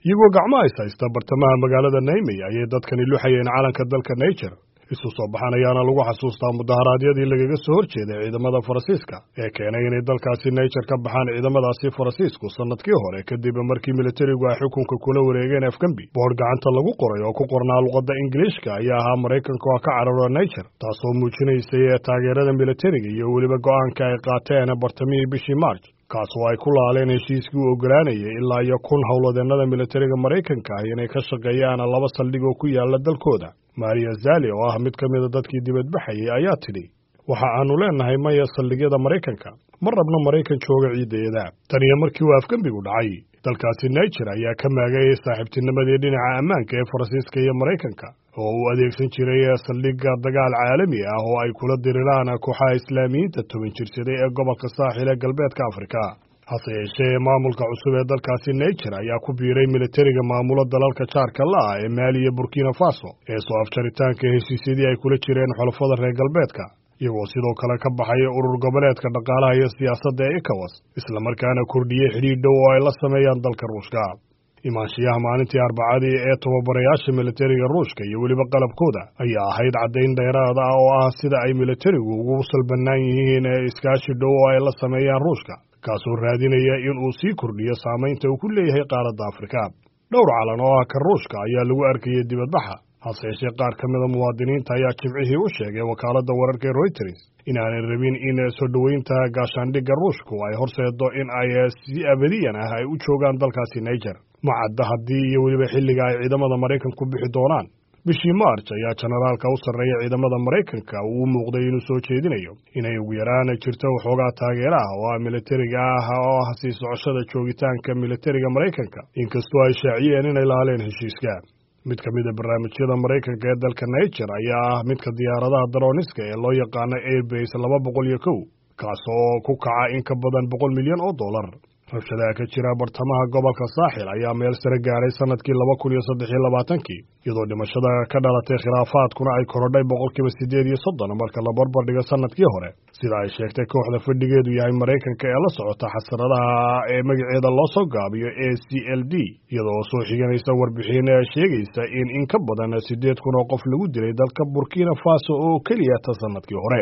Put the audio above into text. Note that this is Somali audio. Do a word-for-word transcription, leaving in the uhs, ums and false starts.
Iyagoo gacmaha is haysta bartamaha magaalada Niamey ayay dadkani luxayeen calanka dalka Niger. Isu soo baxan ayaana lagu xasuustaa mudaharaadyadii lagaga soo horjeeday ciidamada Faransiiska ee keenay inay dalkaasi Niger ka baxaan ciidamadaasi Faransiisku sanadkii hore, kadib markii militarigu ay xukunka kula wareegeen afgembi. Boodh gacanta lagu qoray oo ku qornaa luqadda Ingiliishka ayaa ahaa "Maraykanka oo ka cararo Niger", taasoo muujinaysay taageerada militariga iyo weliba go'aanka ay qaateen bartamihii bishii March, kaas oo ay ku laaleen heshiiskii u oggolaanayay ilaa iyo kun howlwadeennada militariga Maraykanka ah inay ka shaqeeyaan laba saldhig oo ku yaala dalkooda. Maria Zali oo ah mid ka mida dadkii dibadbaxayay ayaa tidhi: "Waxa aanu leenahay maya saldhigyada Maraykanka, ma rabno Maraykan jooga ciiddeeda." Tan iyo markii uu afgembigu dhacay, dalkaasi Niger ayaa ka maagay saaxiibtinimadii dhinaca ammaanka ee Faransiiska iyo Maraykanka oo uu adeegsan jiray saldhigga dagaal caalami ah oo ay kula diriraan kooxaha Islaamiyiinta toban jirsaday ee gobolka Saaxil ee galbeedka Afrika. Hase yeeshee, maamulka cusub ee dalkaasi Niger ayaa ku biiray militariga maamulo dalalka jaarka la ah ee Maali iyo Burkina Faso ee soo afjaritaanka heshiisyadii ay kula jireen xulafada reer galbeedka, iyagoo sidoo kale ka baxay urur goboleedka dhaqaalaha iyo siyaasadda ee ECOWAS, islamarkaana kordhiyey xidhiidh dhow oo ay la sameeyaan dalka Ruushka. Imaanshiyaha maalintii Arbacadii ee tababarayaasha militariga Ruushka iyo weliba qalabkooda ayaa ahayd caddayn dheeraada ah oo ah sida ay militarigu ugu salbannaan yihiin iskaashi dhow oo ay la sameeyaan Ruushka, kaasoo raadinaya in uu sii kordhiyo saamaynta uu ku leeyahay qaaradda Afrika. Dhowr calan oo ah ka Ruushka ayaa lagu arkayay dibadbaxa. Hase yeeshee, qaar ka mida muwaadiniinta ayaa Jimcihii u sheegay wakaaladda wararka ee Reuters in aanay rabin in soo dhoweynta gaashaandhigga Ruushku ay horseedo in ay si abadiyan ah ay u joogaan dalkaasi Niger. Ma cadda haddii iyo weliba xilliga ay ciidamada Maraykanku bixi doonaan. Bishii March ayaa jenaraalka u sarreeya ciidamada Maraykanka uu u muuqday inuu soo jeedinayo inay ugu yaraan jirto waxoogaa taageera ah oo ah militariga ah oo ah sii socoshada joogitaanka militariga Maraykanka, inkastoo ay shaaciyeen inay laaleen heshiiska. Mid ka mid a barnaamijyada Maraykanka ee dalka Niger ayaa ah midka diyaaradaha darooniska ee loo yaqaano Airbase laba boqol iyo kow, kaas oo ku kaca in ka badan boqol milyan oo dollar. Rabshadaha ka jira bartamaha gobolka Saaxil ayaa meel sare gaaray sanadkii laba kun iyo saddex iyo labaatankii, iyadoo dhimashada ka dhalatay khilaafaadkuna ay korodhay boqolkiiba siddeed iyo soddon marka la barbar dhigo sanadkii hore, sida ay sheegtay kooxda fadhigeedu yahay Maraykanka ee la socota xasaradaha ee magaceeda loo soo gaabiyo A C L D, iyadoo soo xiganaysa warbixin sheegaysa in in ka badan siddeed kun oo qof lagu dilay dalka Burkina Faso oo keliya ta sanadkii hore.